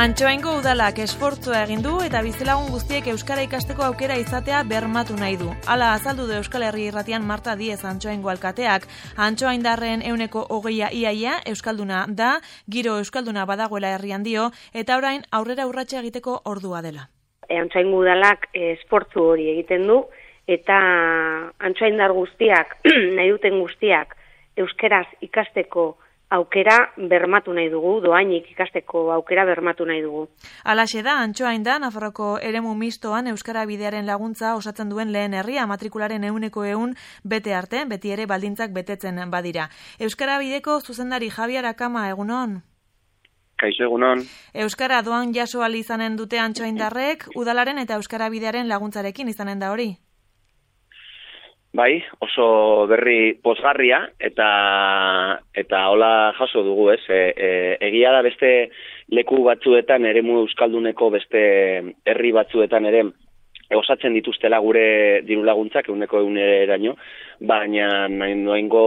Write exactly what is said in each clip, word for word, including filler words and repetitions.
Antxoaingo udalak esfortzua egin du eta bizilagun guztiek euskara ikasteko aukera izatea bermatu nahi du. Hala azaldu du Euskal Herri Irratian Marta Diez Antxoaingo alkateak. Antxoaindarren ehuneko hogeia iaia euskalduna da, giro euskalduna badagoela herrian dio, eta orain aurrera urratsa egiteko ordua dela. Antxoaingo udalak esfortzu hori egiten du eta antxoaindar guztiak, nahi duten guztiak euskaraz ikasteko aukera bermatu nahi dugu, doainik ikasteko aukera bermatu nahi dugu. Halaxe da, Antxoainda, Nafarroko eremu mistoan Euskara Bidearen laguntza osatzen duen lehen herria, matrikularen ehuneko ehun bete arte, beti ere baldintzak betetzen badira. Euskara Bideko zuzendari Javier Akama, egunon? Kaixo, egunon. Euskara doan jaso ahal izanen dute Antxoaindarrek, udalaren eta Euskara Bidearen laguntzarekin izanen da hori? Bai, oso berri pozgarria eta eta hola jaso dugu, ez? E, e, egia da beste leku batzuetan eremu euskalduneko beste herri batzuetan ere osatzen dituztela gure diru laguntzak ehuneko ehuneraino, baina noaingo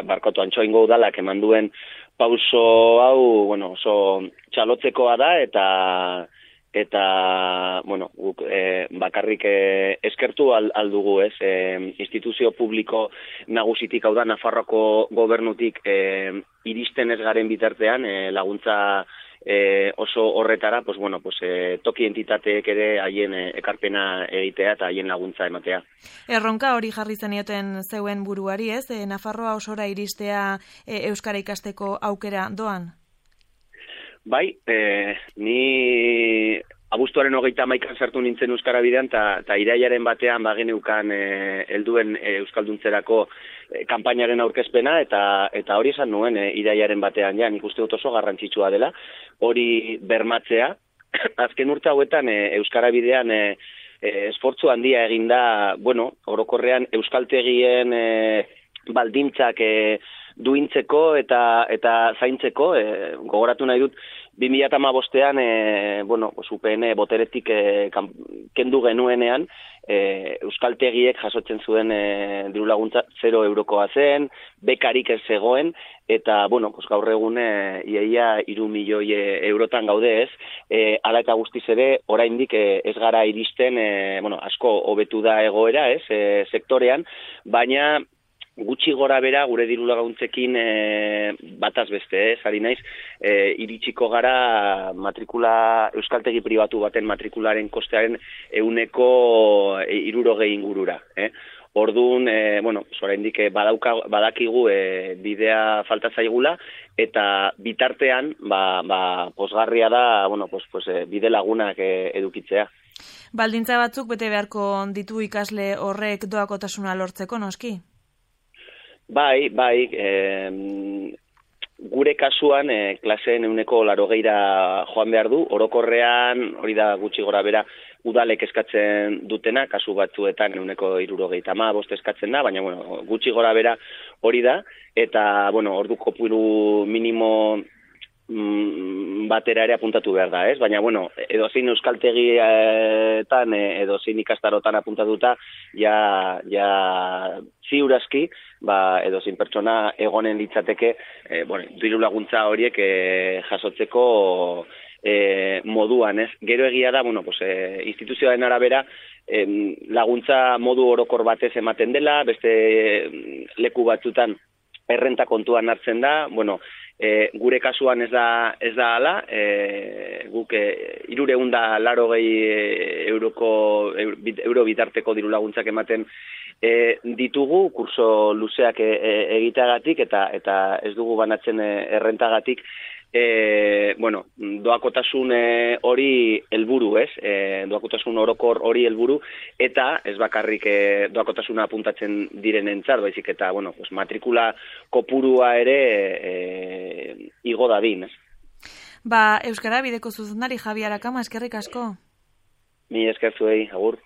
barkatu Antxoaingo udalak eman duen pauso hau, bueno, oso txalotzekoa da eta eta bueno, guk e, bakarrik e, eskertu al, aldugu, ez? E, instituzio publiko nagusitik, hau da Nafarroko gobernutik e, iristen ez garen bitartean e, laguntza e, oso horretara, pues bueno, pues e, toki entitateek ere haien e, ekarpena egitea eta haien laguntza ematea. Erronka hori jarri zenioten zeuen buruari, ez? E, Nafarroa osora iristea e, euskara ikasteko aukera doan? Bai, e, ni abuztuaren hogeita hamaikan sartu nintzen Euskara Bidean, eta irailaren batean bageneukan e, helduen e, euskalduntzerako e, kanpainaren aurkezpena, eta eta hori esan nuen e, irailaren batean, ja, nik uste dut oso garrantzitsua dela, hori bermatzea. Azken urte hauetan e, Euskara Bidean e, e, esfortzu handia eginda, bueno, orokorrean euskaltegien e, baldintzak e, duintzeko eta eta zaintzeko, e, gogoratu nahi dut, bi mila hamabostean e, bueno, U P N boteretik e, kan, kendu genuenean, e, euskaltegiek jasotzen zuen e, diru laguntza zero eurokoa zen, bekarik ez zegoen, eta bueno, pues gaur egun e, iaia hiru milioi eurotan gaude, ez? E, hala eta guztiz ere, oraindik e, ez gara iristen, e, bueno, asko hobetu da egoera, ez? E, sektorean, baina gutxi gora bera gure diru laguntzekin e, bataz beste, ez, ari naiz, e, iritsiko gara matrikula, euskaltegi pribatu baten matrikularen kostearen ehuneko e, hirurogei ingurura. Eh? Orduan, e, bueno, oraindik badauka, badakigu e, bidea falta zaigula, eta bitartean, ba, ba, pozgarria da, bueno, pues, pues, e, bide lagunak e, edukitzea. Baldintza batzuk bete beharko ditu ikasle horrek doakotasuna lortzeko, noski? Bai, bai, e, gure kasuan e, klaseen ehuneko laurogeira joan behar du, orokorrean, hori da gutxi gora bera, udalek eskatzen dutena, kasu batzuetan ehuneko hirurogeita hamabost eskatzen da, baina bueno, gutxi gora bera hori da, eta bueno, ordu kopuru minimo batera ere apuntatu behar da, ez? Baina, bueno, edozein euskaltegietan, edozein ikastarotan apuntatuta, ja, ja ziurazki, ba, edozein pertsona egonen litzateke, e, bueno, diru laguntza horiek e, jasotzeko e, moduan, ez? Gero egia da, bueno, pues, e, instituzioaren arabera, e, laguntza modu orokor batez ematen dela, beste leku batzutan errenta kontuan hartzen da, bueno, E, gure kasuan ez da ez da hala, e, guk e, hirurehun eta laurogei euroko euro bitarteko diru laguntzak ematen e, ditugu kurso luzeak e, e, egiteagatik eta eta ez dugu banatzen e, errentagatik. E, bueno, doakotasun hori helburu, ez? E, doakotasun orokor hori helburu eta ez bakarrik e, doakotasuna apuntatzen direnentzat, baizik eta bueno, pues matrikula kopurua ere e, igo dadin, ez? Ba, Euskara Bideko zuzendari Javier Akama, eskerrik asko. Mi esker zuei, agur.